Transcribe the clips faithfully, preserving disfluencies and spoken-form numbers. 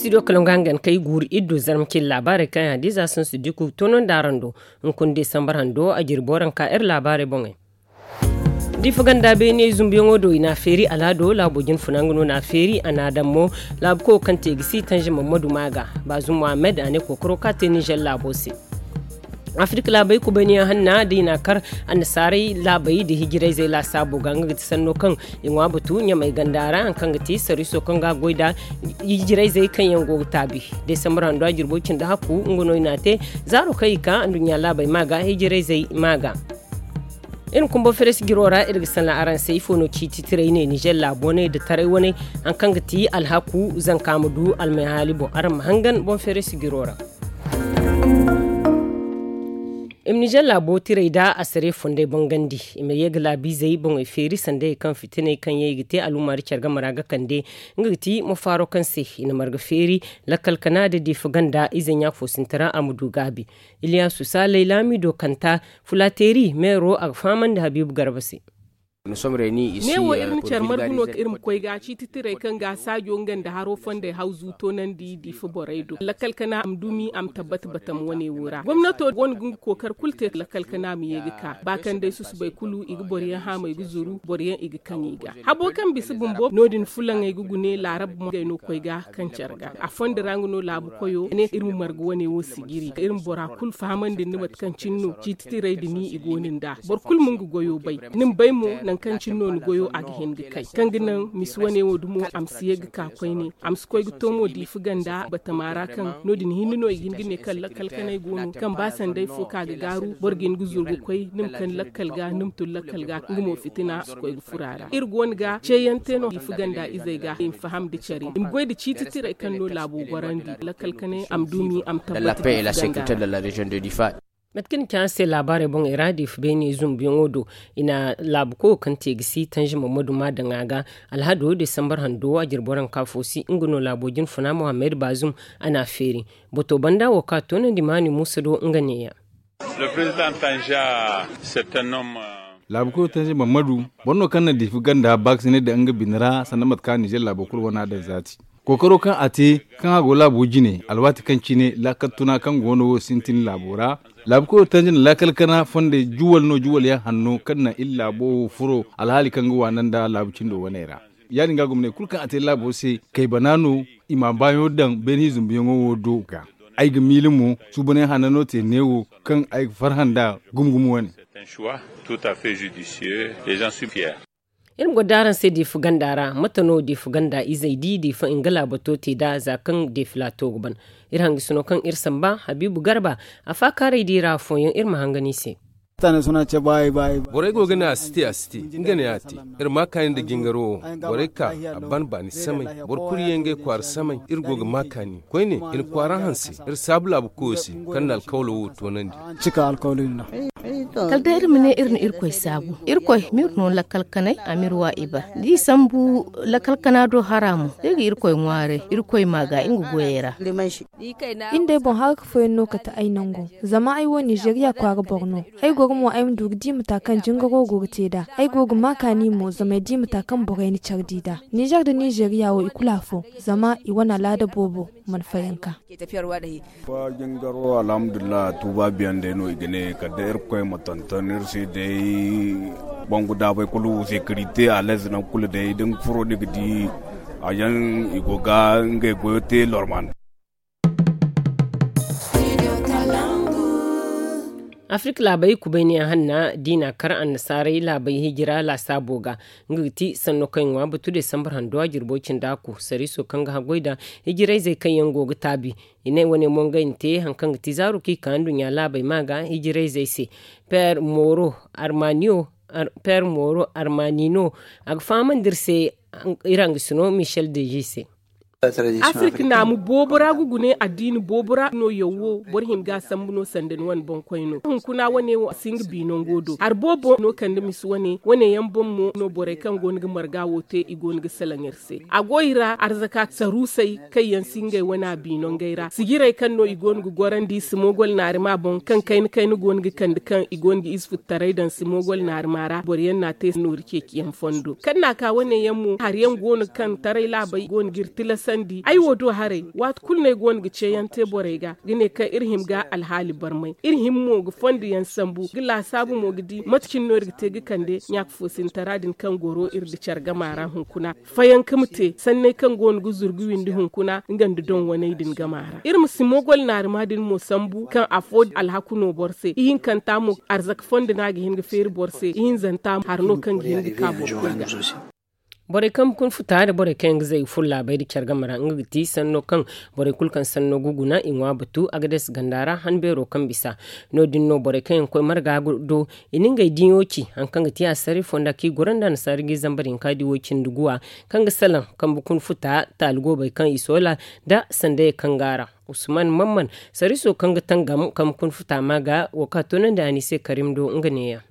Studio kala nga hangan kay guuru iddu zarma cin laabaarey kaŋ yaŋ hadiza sansu diku tono nda araŋ do. Hunkuna desambar hando a jirbo ranka iri laabaarey boŋey. Diifa ganda beene zumbuyaŋo do i n'a feeri alhado laabo jinfuna nga no n'a feeri a n'a daŋ mo. Laabu koyo kaŋ te ga si tanze mammadu maaga, baazum mohammed a ne kookaro ka te nizer laabo se. Afirka laabey kubayniyaŋ hanna da i n'a kar annasaarey laabey da hijirayzey laasaabo ga nga ga ti sanno kaŋ i ŋwa batu ɲamay ganda ra haŋ kaŋ ga ti sariiso kaŋ ga goy nda hijirayzey kaŋ yaŋ go ga taabi. Desambar hando a jirbo cindi hakku nga no i n'a te zaaro kaŋ i ka anduɲɲa laabey maaga hijirayzey maaga. Iri ma kumba feres jiro ra iri ga sanda araŋ se ifo no ciiti tiray ne nizer laabo ne da taray wane haŋ kaŋ ga ti alhaku zanka ma du almay haali boŋ araŋ ma hangan boŋ feres jiro ra. I ma nizer laabo tiray da asare fondey bangandi i ma ye ga laabiizey boŋey feeri sandey kaŋ fitiney kaŋ yaŋ i ga te alumma da care game ra ga kande. Nga ga ti mafaaro kaŋ se i na marga feeri lakkal kana da diifa ganda ize ɲa fo sinti ra a ma du gaabi. Iliyasu saalay laamido kanta fulateeri meero a ga fahamandi habiibu garba se. Neewo iri na care margu no ka iri ma koy ga ciiti tiray kaŋ ga saajo nga nda haro fondey hawzu toonandi diifa borey do lakkal kana a ma dumi a ma tabbata batam wane wo ra gomnato wane ga nga kookar kulu te lakkal kana ma ye ga ka ba kaŋ day susubay kulu i ga boro yaŋ haamay ga zuru boro yaŋ i ga kaŋ i ga habo kaŋ bisa bumbo no- din fulaŋey ga gune laarab mo ngey no koy ga kaŋ care ga a fondo ra nga no laabu koyo ne iri ma marga wane wo sijiri iri ma bora kulu fahamandi nda mate kaŋ cine no ciiti tiray da ni i go no nd'a boro kulu ma nga goyo bay. Ni ma bay mo nangu kaŋ cine no ni goyo a ga hin ga kay kaŋ ga naŋ misi wane wo dumo a ma si ye ga ka koyne a ma si koy ga to mo diifa ganda batama ra kaŋ no- din hinne no i ga hin ga ne kaŋ lakkal kanay go no kaŋ ba sanday fo kaŋ a ga gaaru boro ga hin ga zuru ga koy ni ma kaŋ lakkal ga ni ma tun lakkal ga nga mo fitina a si koy ga furo a ra iri go no ga ceeyaŋ te no diifa ganda izey ga i ma faham nda care i ma goy nda ciiti tiray kaŋ no laabo gorandi lakkal kanay a ma dumi a ma tabbata diifa ganda ra. Mate kaŋ ni ci araŋ se laabaarey boŋey ra diifa beene zumbuyaŋo do i na laabu koyo kaŋ te ga si tanze mammadu ma daŋ a ga alhado desambar hando a jirbo ranka fo si nga no laabo jinfuna mohammed baazum a n'a feeri. Boto banda wo kaŋ a toonandi maani muusa do nga neeya. Laabu koyo tanze mammadu boro no kaŋ na diifa ganda baakasinay daŋ nga bine ra sanda mate kaŋ nizer laabo kulu wane a daŋ zaati kookaro kaŋ a te kaŋ a go laabo jine alwaati kaŋ cine laakal tuna kaŋ go no wo sintin laabo ra. Laabu koyo tanze na laakal kana fondey juwal no juwal yaŋ hanno kaŋ na iri laabo wo furo alhaali kaŋ ga waana nda laabu cindo waney ra. Ya- din ga gomney kulu kaŋ a te laabo se kay bana no i ma baayaŋo daŋ beene zumbuyaŋo wo do ga ay ga miila mo suubanay hanno no te neewo kaŋ ay ga farhã nd'a gumo gumo wane. Iri ma goro da araŋ se diifa ganda ra mate no diifa ganda izey di diifa nga laabato te nd'a za kaŋ diifa laato ga ban. Iri hangasino kaŋ iri samba habiibu garba a faakaaray di ra afooyaŋ iri ma hangan i se. Borey go ga ne a si te a si te nga ne a te. Iri ma kaani nda jingaro wo borey ka a ban baani samay boro kulu ye ngey kwaara samay iri go ga ma kaani koyne i na kwaara hanse iri saabu laabu koyo se kaŋ na alkawlo wo toonandi. Kala day iri ma ne iri na irkoy saabu irkoy ma iri no lakkal kanay a ma iri wa ibar da i sambu lakkal kana do hara mo da ay ga irkoy ŋwaaray irkoy ma ga nga goyey ra. Iri day boŋ haraka fooyaŋ no kate ay nango zama ay wo nizeriya kwaara boro no. Ay goro mo ay ma du ga di mata kaŋ jingaro go ga te nd'a ay go ga ma kaani mo zama ay di mata kaŋ borey na care di nd'a nizer nda nizeriya wo i kulu afo zama i wane alaada boobo mana fayanka. Ba jingaro alhamdulillahi tuuba biyaŋ day no i ga ne kala day irkoy ma tonton iri se day. Bangu daabay kulu sekirite alez nangu kulu day da ni furo ni ga di a yaŋ i go ga ngey goyo te lorman. Afirka laabey kubayniyaŋ hanna da i n'a kar annasaarey laabey hijira laasaabo ga nga ga ti sanno kaŋ i ŋwa batu desambar hando a jirbo cindi a ku sariiso kaŋ ga haggoy nda hijirayzey kaŋ yaŋ go ga taabi. I ne wane mo ngey na te hari kaŋ ga ti zaaru kaŋ i ka nduɲɲa laabey ma ga hijirayzey se. Peer mooro armaniyo peer mooro armanino a ga fahamandi iri se iri hangasino michel deji se. Afirka naamu boobo ra ga gune addiini boobo ra no yaw wo boro hima ga a sambu no sanda ni wane boŋkoy no hunkuna wane wo a si nga bi nango do hari boobo no kande misi wane wane yaŋ boŋ mo no borey kaŋ go no ga marga wo te i go no ga salaŋ iri se a go i ra arzaka saruusey kaŋ yaŋ si ngey wane a bi nangey ra sijirey kaŋ no i go no ga gorandi simogol naarima boŋ kaŋ kayna kayna go no ga kande kaŋ i go no ga ize futtaray daŋ simogol naarima ra boro yaŋ n'a te noori ceeciyaŋ fondo kaŋ n'a ka wane yaŋ mo hari yaŋ go no kaŋ taray laabey go no ga iri tilas. Ay wo do haray, waati kulu no ay go no ga ceeyaŋ te borey ga ga ne kaŋ iri hima ga alhaali barmay, iri hima mo ga fondo yaŋ sambu ga laasaabu mo ga di mate cine no iri ga te ga kande ɲaaka foosintara din kaŋ goro iri nda care gama ra hunkuna. Fayanka ma te sanney kaŋ go no ga zuru ga windi hunkuna nga nda doŋ waney din gama ra iri ma si mogol naarima din mo sambu kaŋ afo alhaku no boro se ihinkanta mo, arzaka fondo no a ga hin ga feeri boro se ihinzanta mo hari no kaŋ ga hin ga ka boro kulu ga. Borey kaŋ ga kun futa nda borey kaŋ yaŋ ga zay ga furo laabey nda care game ra nga ga ti sanno kaŋ borey kulu kaŋ sanno ga guna i ŋwa batu agades ganda ra han beero kaŋ bisa. No- din no borey kaŋ yaŋ ga koy marga do i na ngey diɲo ci hari kaŋ ga ti assaray fonda kaŋ i goro nda annasaara ga i zambar hinka di woy cindi guwa, kaŋ ga salaŋ kambe kun futa taali goobey kaŋ i soola nda sandayey kaŋ go a ra. Usman mamman sarriso kaŋ ga tangam kambe kun futa ma ga wo kaŋ a toonandi a no i se karim do nga neeya.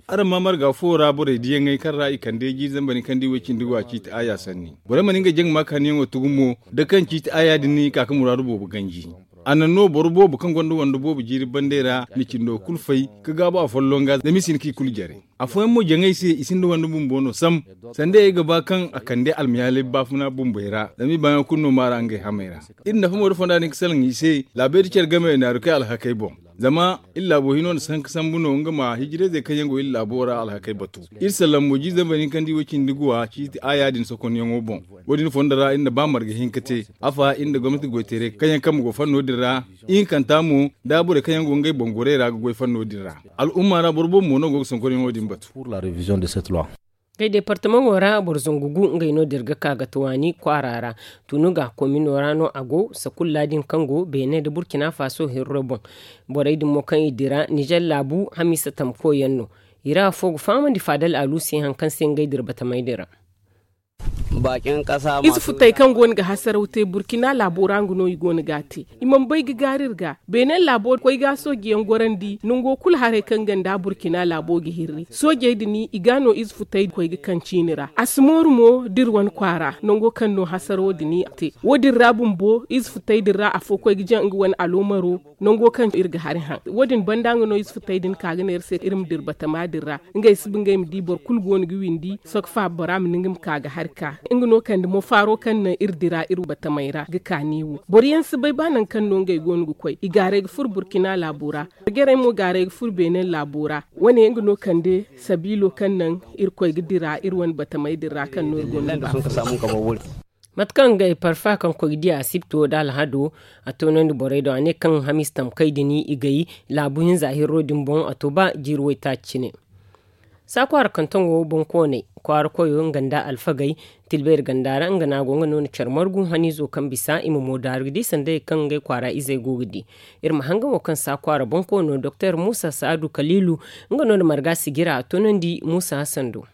Araŋ ma marga fuwo ra borey diyaŋey kaŋ ra i kande jiiri zambar ni kaŋ di way cindi go a ciiti aaya sanni. Borey mana ngey jaŋ ma kaaniyaŋo tugu mo da kaŋ ciiti aaya din ka ga muraadu boobo ganji. A naŋ no boro boobo kaŋ gonda wando boobo jiiri bandey ra na cindo kulu fay ka gaabu a folloŋ ga zama i si hin kaŋ i kulu jare. Afooyaŋ mo jaŋay se i sinda wande bumbo no sam. Sanda ay ga ba kaŋ a kande almayaalay baafuna bumbey ra zama i baayaŋo kulu no maara ngey hamey ra. Iri nafa mo da fonda din ga salaŋ i se laabey da care game naaru kay alhakey boŋ. Zama iri laabo hino na sanka sambu no nga ma hijirayzey kaŋ yaŋ go iri laabo ra alhakey batu. Iri sallaŋ mo jiizey ma hin kaŋ di way cindi guwa ciiti aaya din sokonyaŋo boŋ. Wo- din fondo ra iri na ba marga hinka te afa iri nda gomnati goyteeray kaŋ yaŋ kambe go fanno din ra. Ihinkanta mo da borey kaŋ yaŋ go ngey boŋ gorey ra ga goy fanno din ra. Al'umma ra boro boobo mo no go ga sonkonyaŋo din batu. Ngey departamaŋo ra boro zangu gu ngey no da iri ga ka ga tawaani kwaara ra. Tunu ga komino ra no a go sakulla din kaŋ go beene nda burkina faso hirro boŋ. Borey din mo kaŋ i dira nizer laabu hamiisa tamko yaŋ no. I ra afo ga fahamandi faadal aluusi hari kaŋ se ngey dira batamey din ra. Ize futey kaŋ go no ga hasaraw te burkina laabo ra nga no i go no ga a te. I mana bay ga gaari iri ga beene laabo koy ga sooji yaŋ gorandi nango kulu haray kaŋ ganda burkina laabo ga hirri soojey din i ga no ize futey koy ga kaŋ ciini ra a si mooru mo da iri wane kwaara nango kaŋ no hasarawo din a te. Wo- din ra bumbo ize futey din ra afo koy ga jaŋ nga wane aloomaro nango kaŋ iri ga hari haŋ. Wo- din banda nga no ize futey din ka ga ne iri se iri ma dira batama din ra. Ngey si ba ngey ma di boro kulu go no ga windi sohõ faaba bora ma ni nga ma ka ga hari ka nga no kande mo faaro kaŋ naŋ iri dira iri batamey ra ga ka neewo boro yaŋ si bay ba nangu kaŋ no ngey go no ga koy i gaaray ga furo burkina laabo ra. Jarjarey mo gaaray ga furo beene laabo ra. Wane nga no kande sabiilo kaŋ naŋ iri koy ga dira iri wane batamey din ra kaŋ no iri go no ga ba furo. Mate kaŋ ngey parfa kaŋ koy ga di asibto nda alhado a toonandi borey do a ne kaŋ hamiisa tamkey din i gay laabu hinza hirro din boŋ a to ba jiiri waytaaci cine. Saakwaara kantaŋo boŋkooney kwaara koyo nga nda alfagey tilbeeri ganda ra nga no a go nga no na care margu haniizo kaŋ bisa i ma moodaaru ga di sandayey kaŋ ngey kwaara izey go ga di. Iri ma hangan wo kaŋ saakwaara boŋkoono doktor muusa saadu kaliilu nga no na marga sigira a toonandi muusa hasan do.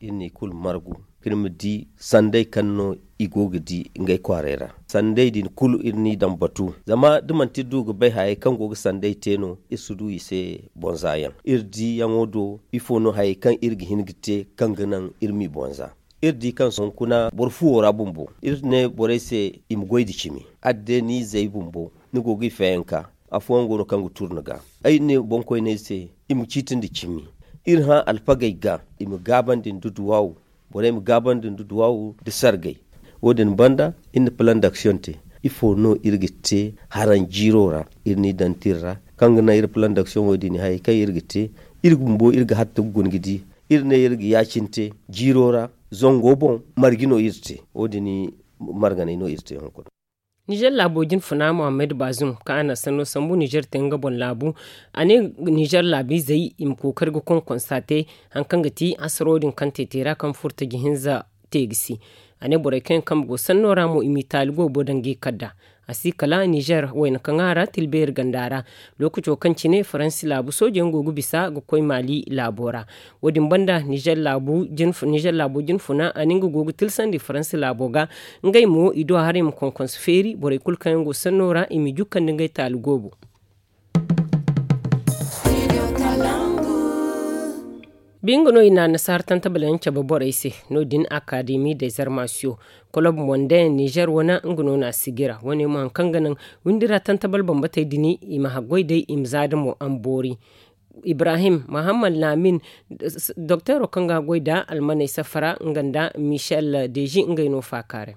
Iri n'i kulu margu kaŋ iri ma di sanday kaŋ no i go ga di ngey kwaarey ra. Sanday din kulu iri n'i daŋ batu zama da manti iri du ga bay hayey kaŋ go ga sanday te no iri si du i se bonza yaŋ iri diyaŋo do. Ifo no hayey kaŋ iri ga hin ga te kaŋ ga naŋ iri m'i bonza? Iri di kaŋ sohõ kuna boro fuwo ra bumbo iri ne borey se i ma goy nda cimi. Adde ni izey bumbo ni go ga i fayanka. Afooyaŋ go no kaŋ ga turu ni ga ay ne boŋkoyney se i ma ciiti nda cimi. Iri hã alfagey ga i ma gaabandi nda duwaawu. Borey ma gaabandi nda duwaawu nda sargay. Wo- din banda iri na plan d'action te. Ifo no iri ga te haraŋ jiiro ra iri n'i daŋ tira ra kaŋ ga naŋ iri plan d'action wo- din hayey kaŋ iri ga te iri bumbo iri ga hatta ga guna ga di. Iri ne iri ga ya-cine te jiiro ra zango boŋ marje no iri te. Wo- din marganey no iri te hunkuna. Nizer laabo jinfuna muhammad bazum kaŋ a na sanno sambu nizer te nga boŋ laabu. A ne nizer laabiizey i ma kookari ga konkonsa te hari kaŋ ga ti hasaro din kaŋ te te ra kaŋ furtaji hinza te ga si. A ne borey kaŋ yaŋ kambe go sanno ra mo i m'i taali goobo daŋ ga i kadda. A si kala nizer wayna kaŋ a ra tilbeeri ganda ra. Lookaco kaŋ cine faransi laabu sooje yaŋ go ga bisa ga koy maali laabo ra. Wo- din banda nizer laabo jinfuna a ne nga go ga tilsandi faransi laabo ga. Ngey mo i du a haray ma konkonso feeri borey kulu kaŋ yaŋ go sanno ra i m'i jukkandi ngey taali goobo. Bi nga no i na annasaara tantabal yaŋ cabe borey se. No- din akademi dezarmasiyo kolob mondain nizer wane nga no na a sigira wane mo hari kaŋ ga naŋ windi ra tantabal bambatey din i ma haggoy day i ma za da mo a ma boori. Ibrahim muhammad lamin, dokteero kaŋ ga goy nda almaney safara nga nda michel deji ngey no faakaaray.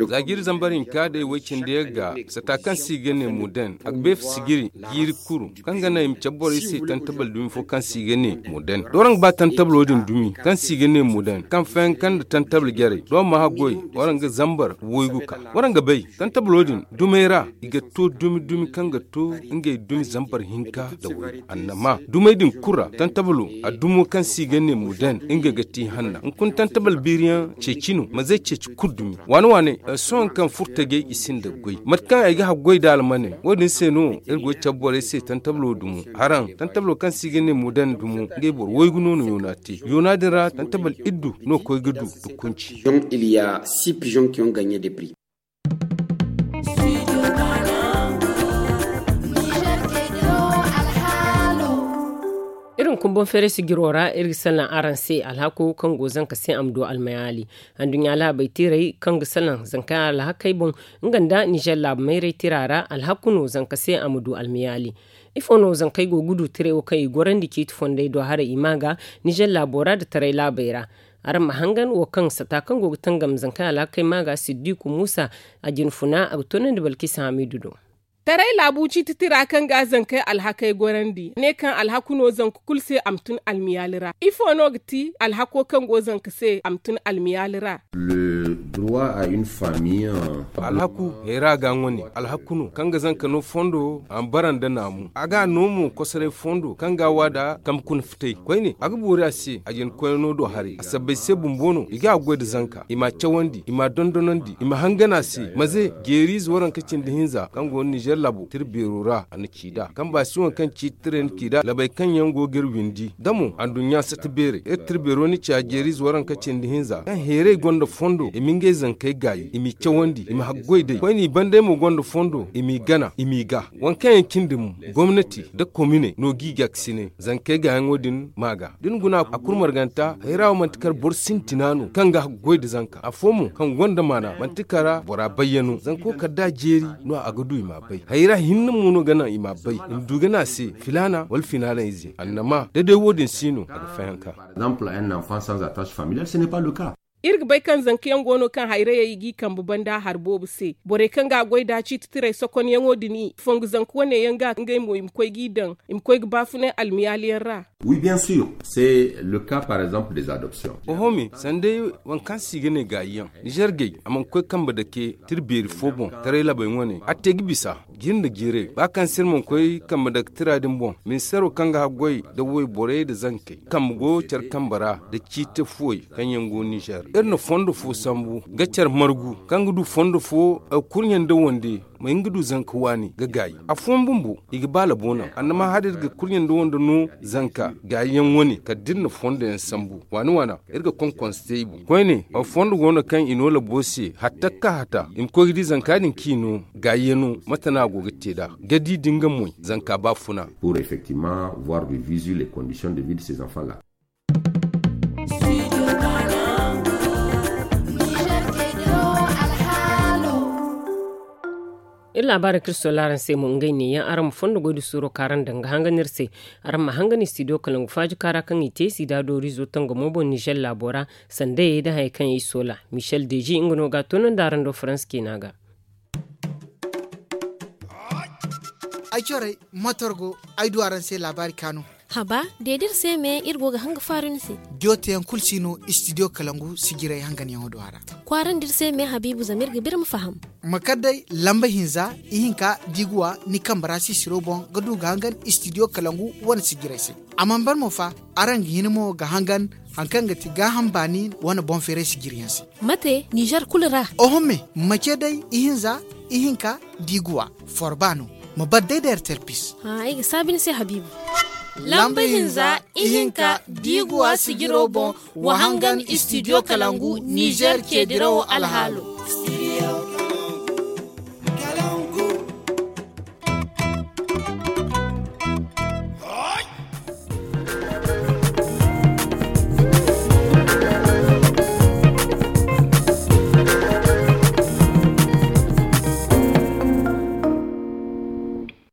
Za jiiri zambar hinka day way cindi yaŋ ga sata kaŋ se i ga ne moden a ga beefa sijiri jiiri kuru kaŋ ga naŋ i ma cabe borey se tantabal dumi fo kaŋ se i ga ne moden da waraŋ ga ba tantabalo din dumi kaŋ se i ga ne moden kaŋ fayanka nda tantabal jarey da waraŋ ma haggoy waraŋ ga zambar waygu ka waraŋ ga bay tantabalo din dumey ra i ga to dumi dumi kaŋ ga to ngey dumi zambar hinka nda waygu annama dumey din kulu ra tantabalo a dumo kaŋ se i ga ne moden ngey ga te hanna hunkuna tantabal biiriyaŋ ceeci no ma zay ceeci kulu dumi waane waane sohõ kaŋ furo tajey i sinda goy mate kaŋ ay ga haggoy nda almaney wo- din se no iri go ga cabe borey se tantabalo dumo haraŋ tantabalo kaŋ se i ga ne moden dumo ngey boro waygu no no yoona te yoona din ra tantabal iddu no koy ga du da kunci. Iri hunkuna boŋ feeray sijiro ra iri ga salaŋ araŋ se alhako kaŋ go zanka se a ma du almayaali. Anduɲɲa laabey tiirey kaŋ ga salaŋ zankey alhakey boŋ nga nda nizer laabu mayray tira ra alhaku no zanka se a ma du almayaali. Ifo no zankey go ga du tiray wo kaŋ i gorandi ciiti fondey do haray i ma ga nizer laabo ra nda taray laabey ra? Araŋ ma hangan wo kaŋ sata kaŋ go ga tangam zankey alhakey ma ga siddiku muusa a jinfuna a ga toonandi balkisa hamiidu do. Taray laabu ciiti tira kaŋ ga zankey alhakey gorandi ne kaŋ alhaku no zanka kulu se a ma tun almiyaali ra ifo no ga ti alhako kaŋ go zanka se a ma tun almiyaali ra? Alhaku hayra ga ŋwa ne alhaku no kaŋ ga zanka no fondo a ma bara nda naamu a ga no mo kosoray fondo kaŋ ga a wa nda kambe kuna fitay koyne a ga boori a se a jina koyno do haray a sabbay se bumbo no i ga a goy nda zanka i m'a cawandi i m'a dondonandi i ma hangan a se maze jeeriize waranka cindi hinza kaŋ go no nizer laabo tira beero ra a na ci nd'a kaŋ ba si waŋ kaŋ ciiti tiray na ci nd'a labey kaŋ yaŋ go ga iri windi da mo anduɲɲa sata beerey iri tira beero na ci a jeeriize waranka cindi hinza kaŋ heeray gonda fondo i ma ngey zankey gaayi i m'i cawandi i ma haggoy day koyne i bandey mo gonda fondo i m'i gana i m'i ga waŋ kaŋ yaŋ cindi mo gomnati nda kominey no g'i ga a ga si ne zankey gaayaŋo din ma ga da ni guna a kulu marganta hayra wo manti kar boro sintina no kaŋ ga haggoy nda zanka afo mo kaŋ gonda maana manti kara bora bayyano zanko kala da a jeeri no a ga du i m'a bay hayra hinne mo no ga naŋ i m'a bay i ma du ga ne a se filaana wala filaana ize annama da day wo- din si no a ga fayanka. Iri ga bay kaŋ zanka yaŋ go no kaŋ hayrayey i g'i kambe banda hari boobo se borey kaŋ ga a goy nda ciiti tiray sokonyaŋo din i fongu zanka wane yaŋ ga ngey mo i ma koy g'i daŋ i ma koy ga baafunay almiyaali yaŋ ra? Wi bien sûr. C'est le cas par exemple des adoptions. Oho me sanda day waŋ kaŋ se i ga ne gaayi yaŋ nizer gay a mana koy kambe dake tira beeri fo boŋ taray labey wane a te ga bisa jiiri nda jiiray ba kaŋ se iri mana koy kambe dake tira din boŋ ministeero kaŋ ga haggoy nda wayborey nda zankey kambe go care kambe ra nda ciiti fuwey kaŋ yaŋ go nizer iri na fondo fo sambu ga care margu kaŋ ga du fondo fo kurɲe nda wande ma hin ga du zanka waani ga gaayi afooyaŋ bumbo i ga ba labo naŋ annama hala iri ga kurɲe nda wande no zanka gaayi yaŋ wane kala da iri na fondo yaŋ sambu waani waana iri ga konkonse te i boŋ koyne fondo go no kaŋ i no labo se hatta ga ka hata i ma koy ga di zanka din kaŋ i no gaayi yaŋ no mate no a go ga te nd'a ga di da nga moy zanka baafuna. Pour effectivement voir de visu les conditions de vie de ces enfants là. Iri laabaarey kaŋ iri soola araŋ se mo ngey neeyaŋ araŋ ma fondo goy nda suuro kaŋ araŋ daŋ ga hangan iri se. Araŋ ma hangan studio kalangu faaji kaara kaŋ i te sida doori izo tangamo boŋ nizer laabo ra sandayey nda hayey kaŋ i soola michel deji nga no ga a toonandi araŋ do faransa ciina ga. Ay corey motor go ay du araŋ se laabaari kaanu. Haba de da iri se me iri go ga hanga faaru ni se. Jooteyaŋ kulu si no studio kalangu sijirey hanganyaŋo do a ra. Kwaarandi iri se me habiibu zama iri ga ba iri ma faham. Ma kar day lamba hinza ihinka diiguwa ni kambe ra sisiro boŋ ga du ga hangan studio kalangu wane sijirey se. A mana ban mo fa araŋ ga hin mo ga hangan hari kaŋ ga ti gaaham baani wane boŋ feeray sijiriyaŋ se. Mate nizer kulu ra? Oho me ma ce day ihinza ihinka diiguwa forba no ma bar day da ertelpis. Ay ga saabi ni se habiibu. Lamba hinza ihinka diiguwa sijiro boŋ wa hangan studio kalangu nizer ce dirawo alhaalo.